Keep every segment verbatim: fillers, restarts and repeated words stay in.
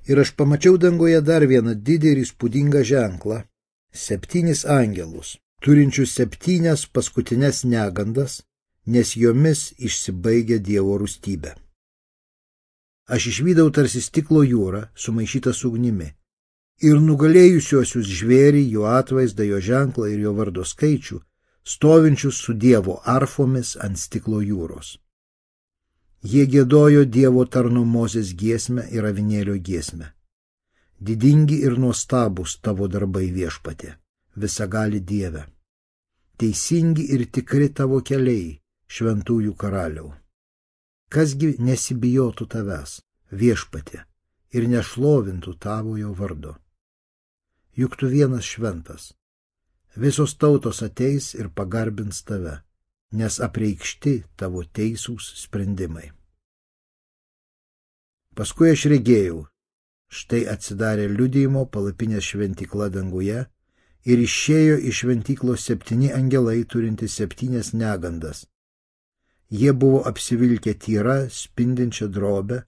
Ir aš pamačiau dangoje dar vieną didelį ir įspūdingą ženklą – septynis angelus, turinčius septynias paskutinės negandas, nes jomis išsibaigia Dievo rūstybė. Aš išvydau tarsi stiklo jūrą, sumaišytą su ugnimi, ir nugalėjusiuosius žvėrį, jo atvaizdą, jo ženklą ir jo vardo skaičių, stovinčius su Dievo arfomis ant stiklo jūros. Jie giedojo Dievo tarno Mozės giesmę ir avinėlio giesmę. Didingi ir nuostabūs tavo darbai, Viešpatie, visagali Dieve. Teisingi ir tikri tavo keliai, šventųjų karaliau. Kasgi nesibijotų tavęs, Viešpatie, ir nešlovintų tavojo vardo. Juk tu vienas šventas. Visos tautos ateis ir pagarbins tave, nes apreikšti tavo teisūs sprendimai. Paskui aš regėjau, štai atsidarė liudijimo palapinės šventykla danguje ir išėjo iš šventyklos septyni angelai turinti septynias negandas. Jie buvo apsivilkę tyra, spindinčią drobę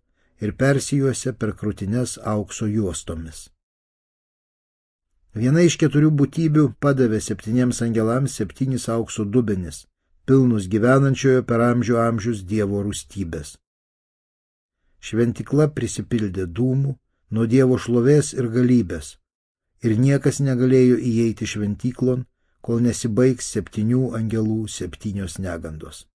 ir persijuose per krūtines aukso juostomis. Viena iš keturių būtybių padavė septyniems angelams septynis aukso dubenis, pilnus gyvenančiojo per amžių amžius Dievo rūstybės. Šventykla prisipildė dūmų nuo Dievo šlovės ir galybės, ir niekas negalėjo įeiti šventyklon, kol nesibaigs septynių angelų septynios negandos.